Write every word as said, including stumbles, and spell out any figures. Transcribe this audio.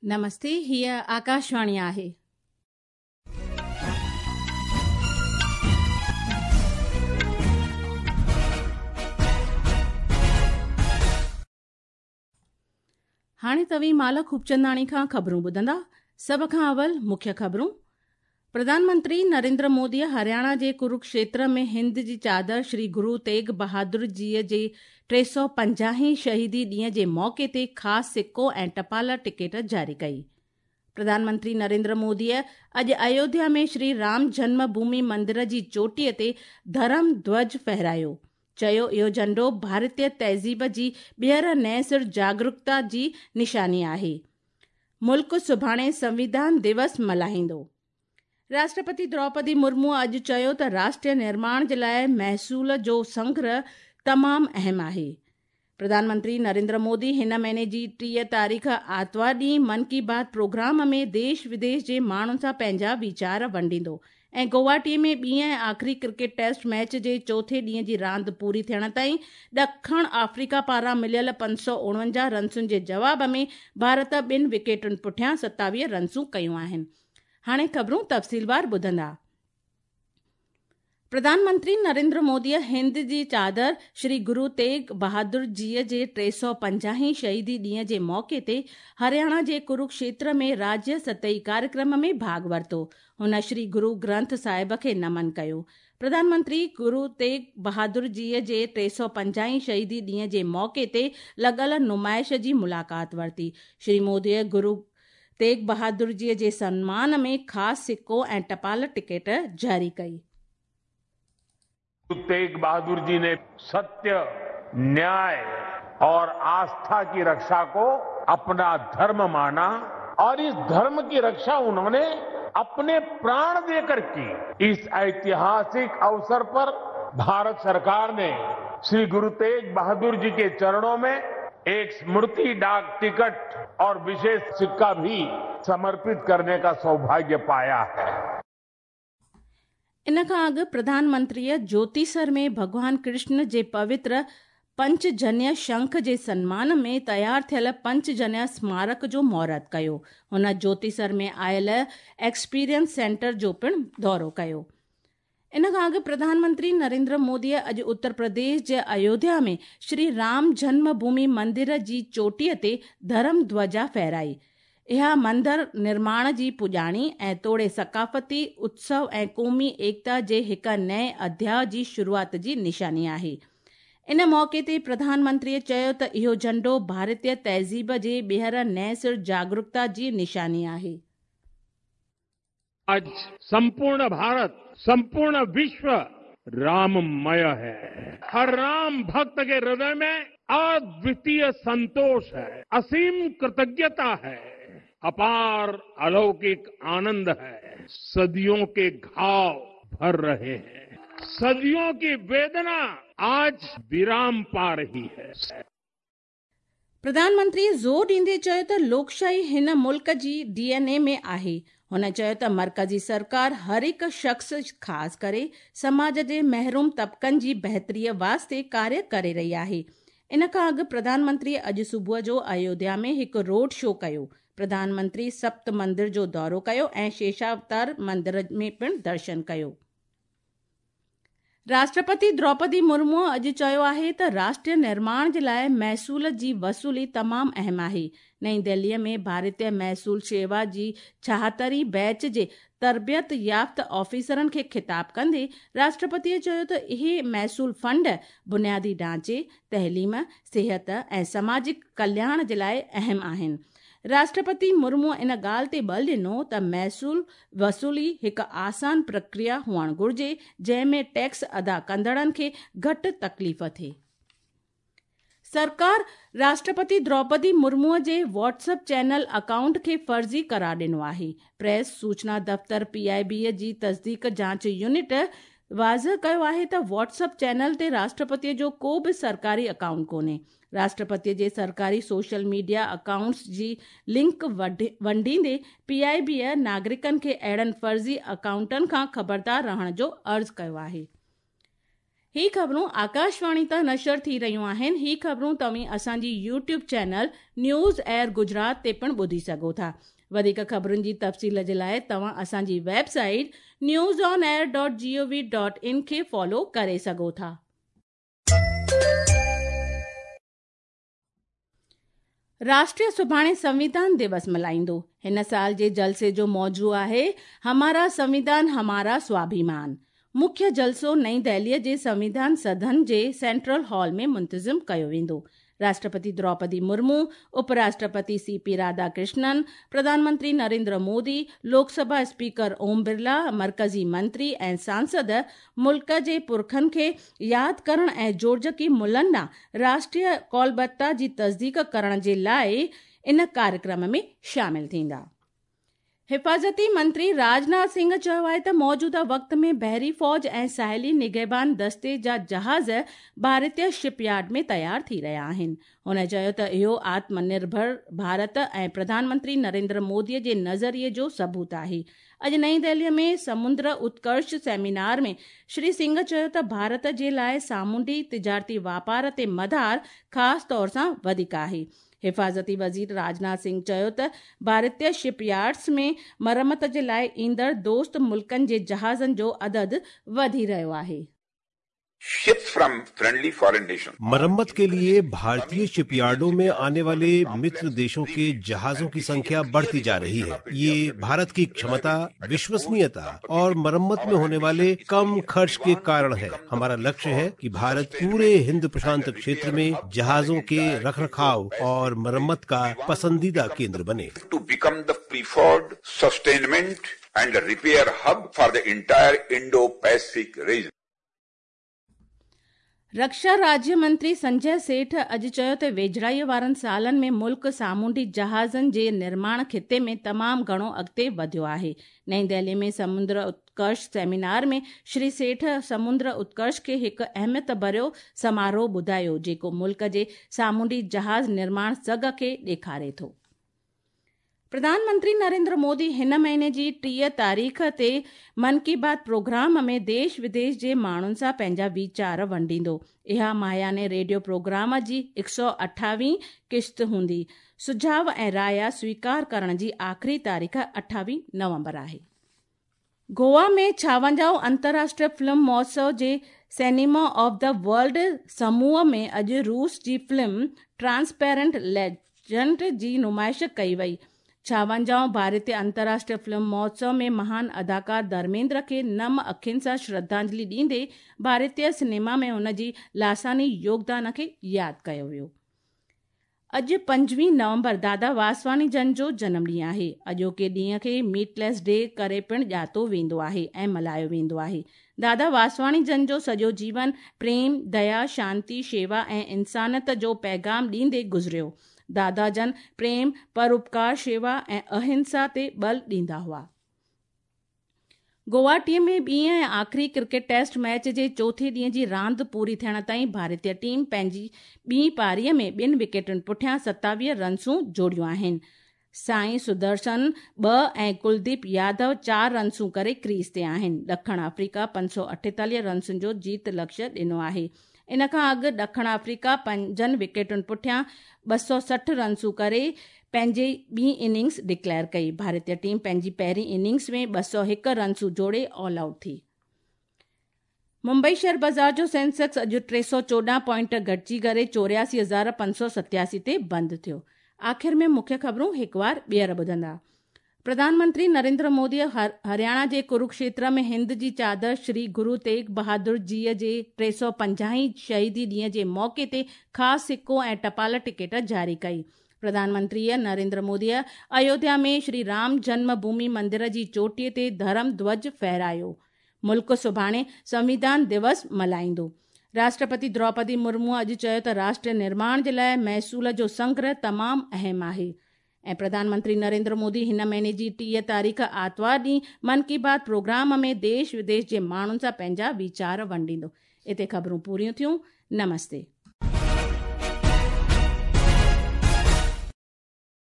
नमस्ते, हीअ आकाशवाणी आहे। हाणे तव्हीं माला खूबचंदाणी खां ख़बरूं ॿुधंदा। सभ खां अवल मुख्य ख़बरूं। प्रधानमंत्री नरेंद्र मोदी हरियाणा जे कुरुक्षेत्र में हिंद जी चादर श्री गुरु तेग बहादुर जीअ जे टे सौ पंजाहीं शहीदी ॾींहं जे मौक़े ते ख़ासि सिक्को ऐं टपाल टिकेट जारी कई। प्रधानमंत्री नरेंद्र मोदीअ अॼु अयोध्या में श्री राम जन्मभूमि मंदिर जी चोटीअ ते धर्म ध्वज फहरायो। चयो इहो झंडो भारतीय तहज़ीब जी ॿीहर नए सिर जागरूकता जी निशानी आहे। मुल्क सुभाणे संविधान दिवस मल्हाईंदो। राष्ट्रपति द्रौपदी मुर्मू अॼु चयो त राष्ट्रीय निर्माण जे लाइ महसूल जो संग्रह तमामु अहम आहे। प्रधानमंत्री नरेंद्र मोदी हिन महीने जी टीह तारीख़ आतिवार ॾींहुं मन की बात प्रोग्राम में देश विदेश जे माण्हुनि सां पंहिंजा वीचार वंडींदो। ऐं गुवाहाटी में ॿी ऐं आख़िरी क्रिकेट टेस्ट मैच जे चोथे ॾींहं जी रांदि पूरी थियण ताईं ॾखण आफ्रीका पारां मिलियल पंज सौ उणवंजाह रनसुनि जे जवाब में भारत ॿिनि विकेटुनि पुठियां सतावीह रनसूं कयूं आहिनि। हाणे ख़बरूं तफ़सीलवार ॿुधंदा। प्रधानमंत्री नरेंद्र मोदीअ हिंद जी चादर श्री गुरु तेग बहादुर जीअ जे टे सौ पंजाहीं शहीदी ॾींहं जे मौक़े ते हरियाणा जे कुरुक्षेत्र में राज्य सतही कार्यक्रम में भाॻ वरितो। हुन श्री गुरु ग्रंथ साहिब खे नमन कयो। प्रधानमंत्री गुरु तेग बहादुर जीअ जे टे सौ पंजाहीं शहीदी ॾींहं जे मौक़े ते लॻल नुमाइश जी मुलाक़ात वरिती। श्री मोदीअ गुरु तेग बहादुर जीअ जे सम्मान में ख़ासि सिक्को ऐं टपाल टिकेट जारी कई। गुरु तेग बहादुर जी ने सत्य, न्याय और आस्था की रक्षा को अपना धर्म माना और इस धर्म की रक्षा उन्होंने अपने प्राण देकर की। इस ऐतिहासिक अवसर पर भारत सरकार ने श्री गुरु तेग बहादुर जी के चरणों में एक स्मृति डाक टिकट और विशेष सिक्का भी समर्पित करने का सौभाग्य पाया है। इन खां अॻु प्रधानमंत्रीअ ज्योतिसर में भॻवान कृष्ण जे पवित्र पंचजन्य शंख जे सम्मान में तयारु थियल पंचजन्य स्मारक जो मुहूर्त कयो। हुन ज्योतिसर में आयल एक्सपीरियंस सेंटर जो पिणु दौरो कयो। इन खां अॻु प्रधानमंत्री नरेंद्र मोदीअ अॼु उत्तर प्रदेश जे अयोध्या में श्री राम जन्मभूमि मंदिर जी चोटीअ ते धर्म ध्वजा फहराई। इहा मंदर निर्माण जी पुॼाणी ऐं तोड़े सकाफ़ती उत्सव ऐं क़ौमी एकता जे हिकु नए अध्याय जी शुरूआत जी निशानी आहे। इन मौक़े ते प्रधानमंत्रीअ चयो त इहो झंडो भारतीय तहज़ीब जे ॿीहर नए सिर जागरूकता जी निशानी आहे। आज संपूर्ण भारत, संपूर्ण विश्व राममय है। हर राम भक्त के हृदय में अद्वितीय संतोष है, असीम कृतज्ञता है, अपार अलौकिक आनंद है। सदियों के घाव भर रहे हैं, सदियों की वेदना आज विराम पा रही है। प्रधानमंत्री ज़ोर ॾींदे चयो त लोकशाही हिन मुल्क जी डी एन ए में आहे। हुन चयो त मर्कज़ी सरकार हर हिकु शख़्स, ख़ासि करे समाज जे महरूम तबक़नि जी बहितरीअ वास्ते कार्य करे रही आहे। इन खां अॻु प्रधानमंत्री अॼु सुबुह जो अयोध्या में हिकु रोड शो कयो। प्रधानमंत्री सप्त मंदिर जो दौरो कयो ऐं शेषावतार मंदिर में पिणु दर्शन कयो। राष्ट्रपति द्रौपदी मुर्मू अॼु चयो आहे त राष्ट्रीय निर्माण जे लाइ महसूल जी वसूली तमामु अहम आहे। नई दिल्लीअ में भारतीय महसूल शेवा जी छाहतरी बैच जे तरबियत याफ़्त ऑफिसरनि खे ख़िताब कंदे राष्ट्रपतीअ चयो त इहे महसूल फंड बुनियादी ढांचे, तइलीम, सिहत ऐं समाजिक कल्याण जे लाइ अहम आहिनि। राष्ट्रपति मुर्मू इन ॻाल्हि ते बल ॾिनो त महसूल वसूली हिकु आसान प्रक्रिया हुअणु घुर्जे, जंहिं में टैक्स अदा कंदड़नि खे घटि तकलीफ़ थिए। सरकार राष्ट्रपति द्रौपदी मुर्मूअ जे व्हाट्सएप चैनल अकाउंट खे फ़र्ज़ी करार ॾिनो आहे। प्रेस सूचना दफ़्तर पी I बी जी तस्दीक जांच यूनिट वाज़िह कयो आहे त व्हाट्सएप चैनल ते राष्ट्रपतीअ जो को बि सरकारी अकाउंट कोन्हे। राष्ट्रपतीअ जे सरकारी सोशल मीडिया अकाउंट्स जी लिंक वंडींदे पी I बीअ नागरिकनि खे अहिड़नि फ़र्ज़ी अकाउंटनि खां ख़बरदार रहण जो अर्ज़ु कयो आहे। ही ख़बरूं आकाशवाणी तां नशर थी रहियूं आहिनि। ही ख़बरूं तव्हीं असांजी YouTube channel news air Gujarat ते पिणु ॿुधी सघो था। वधीक ख़बरुनि जी तफ़सील जे लाइ तव्हां असांजी website news on air dot G O V dot in खे फॉलो करे सघो था। राष्ट्रीय सुभाणे संविधान दिवस मल्हाईंदो। हिन साल जे जलसे जो मौजू आहे हमारा संविधान हमारा स्वाभिमान। मुख्य जलसो नई दिल्लीअ जे संविधान सदन जे सेंट्रल हॉल में मुंतज़िम कयो वेंदो। राष्ट्रपति द्रौपदी मुर्मू, उपराष्ट्रपति सी पी राधाकृष्णन, प्रधानमंत्री नरेंद्र मोदी, लोकसभा स्पीकर ओम बिरला, मर्कज़ी मंत्री ऐं सांसद मुल्क जे पुरखनि खे यादि करण ऐं जोड़जकी मुलनि ॾांहुं राष्ट्रीय कौलबद्धता जी तस्दीक करण जे लाइ इन कार्यक्रम में शामिल थींदा। हिफाज़ती मंत्री राजनाथ सिंह चयो आहे त मौजूदा वक़्त में बहरी फ़ौज ऐं साहिली निगहबान दस्ते जा जहाज़ भारतीय शिपयार्ड में तयार थी रहिया आहिनि। हुन चयो त इहो आत्मनिर्भर भारत ऐं प्रधानमंत्री नरेंद्र मोदीअ जे नज़रिए जो सबूत आहे। अॼु नई दिल्लीअ में समुंद्र उत्कर्ष सेमिनार में श्री सिंह चयो त भारत जे लाइ सामुंडी तिजारती वापार ते मदार ख़ासि तौर सां वधीक आहे। हिफाज़ती वज़ीर राजनाथ सिंह चयो त भारतीय शिपयार्ड्स में मरमत जे लाइ ईंदड़ दोस्त मुल्कनि जे जहाज़नि जो अदद वधी रहियो आहे। Ships from friendly foreign nations. मरम्मत के लिए भारतीय शिपयार्डों में आने वाले मित्र देशों के जहाजों की संख्या बढ़ती जा रही है। ये भारत की क्षमता, विश्वसनीयता और मरम्मत में होने वाले कम खर्च के कारण है। हमारा लक्ष्य है कि भारत पूरे हिंद प्रशांत क्षेत्र में जहाजों के रखरखाव और मरम्मत का पसंदीदा केंद्र बने। To become the preferred sustainment and repair hub for the entire Indo-Pacific region. रक्षा राज्य मंत्री संजय सेठ अॼु चयो त वेझड़ाईअ वारनि सालनि में मुल्क सामुंडी जहाज़नि जे निर्माण ख़िते में तमामु घणो अॻिते वधियो आहे। नई दिल्ली में समुंद्र उत्कर्ष सेमिनार में श्री सेठ समुंद्र उत्कर्ष खे हिकु अहमियत भरियो समारोह ॿुधायो, जेको मुल्क जे सामुंडी जहाज़ निर्माण सघ खे ॾेखारे थो। प्रधानमंत्री नरेंद्र मोदी हिन महीने जी टीह तारीख़ ते मन की बात प्रोग्राम में देश विदेश जे माण्हुनि सां पंहिंजा वीचार वंडींदो। इहा माहियाने रेडियो प्रोग्राम जी हिकु सौ अठावीह किश्त हूंदी। सुझाव ऐं राया स्वीकार करण जी आख़िरी तारीख़ अठावीह नवंबर आहे। गोवा में छावंजाह अंतर्राष्ट्रीय फिल्म महोत्सव जे सिनेमा ऑफ the world समूह में अॼु रूस जी फिल्म ट्रांसपेरेंट लेजेंड जी नुमाइश कई वई। छावंजाह भारतीय अंतर्राष्ट्रीय फिल्म महोत्सव में महान अदाकार धर्मेंद्र खे नम अखियुनि सां श्रद्धांजलि ॾींदे भारतीय सिनेमा में हुन जी लासानी योगदान खे यादि कयो वियो। अॼु पंजवीह नवंबर दादा वासवानी जन जो जनम ॾींहुं आहे। अॼोके ॾींहं खे मीटलेस डे करे पिणु ॼातो वेंदो आहे ऐं मल्हायो वेंदो आहे। दादा वासवानी जन जो सॼो जीवन प्रेम, दया, शांति, शेवा ऐं इंसानियत जो पैगाम ॾींदे गुज़रियो। दादा जन प्रेम, परोपकार, शेवा ऐं अहिंसा ते बल ॾींदा हुआ। गुवाहाटीअ में ॿी ऐं आख़िरी क्रिकेट टेस्ट मैच जे चोथे ॾींहं जी रांदि पूरी थियण ताईं भारतीय टीम पंहिंजी ॿी पारीअ में ॿिनि विकेटुनि पुठियां सतावीह रनसूं जोड़ियूं आहिनि। साईं सुदर्शन ॿ ऐं कुलदीप यादव चारि रनसूं करे क्रीज ते आहिनि। ॾखण अफ्रीका पंज सौ अठेतालीह रनसुनि जो जीत लक्ष्य ॾिनो आहे। इन खां अॻु ॾखण अफ्रीका पंजनि विकेटुनि पुठियां ॿ सौ सठि रनसूं करे पंहिंजी ॿी इनिंग्स डिक्लेयर कई। भारतीय टीम पंहिंजी पहिरीं इनिंग्स में ॿ सौ हिकु रनसूं जोड़े ऑल आउट थी। मुंबई शेयर बाज़ार जो सेंसेक्स अॼु टे सौ चोॾहं पॉइंट घटिजी करे चोरियासी हज़ार पंज सौ सतासी ते बंदि थियो। आख़िर में मुख्य ख़बरूं हिकु बार ॿीहर ॿुधंदा। प्रधानमंत्री नरेंद्र मोदी हरियाणा जे कुरुक्षेत्र में हिंद जी चादर श्री गुरु तेग बहादुर जीअ जे टे सौ पंजाहीं शहीदी ॾींहं जे मौक़े ते ख़ासि सिक्को ऐं टपाल टिकट जारी कई। प्रधानमंत्री नरेंद्र मोदी अयोध्या में श्री राम जन्मभूमि मंदिर जी चोटीअ ते धर्म ध्वज फहरायो। मुल्क सुभाणे संविधान दिवस मल्हाईंदो। राष्ट्रपति द्रौपदी मुर्मू अॼु चयो त राष्ट्र निर्माण जे लाइ महसूल जो संग्रह तमामु अहम आहे। ऐं प्रधानमंत्री नरेंद्र मोदी हिन महीने जी टीह तारीख़ आतिवार ॾींहुं मन की बात प्रोग्राम में देश विदेश जे माण्हुनि सां पंहिंजा वीचार वंडींदो। हिते ख़बरूं पूरियूं थियूं। नमस्ते।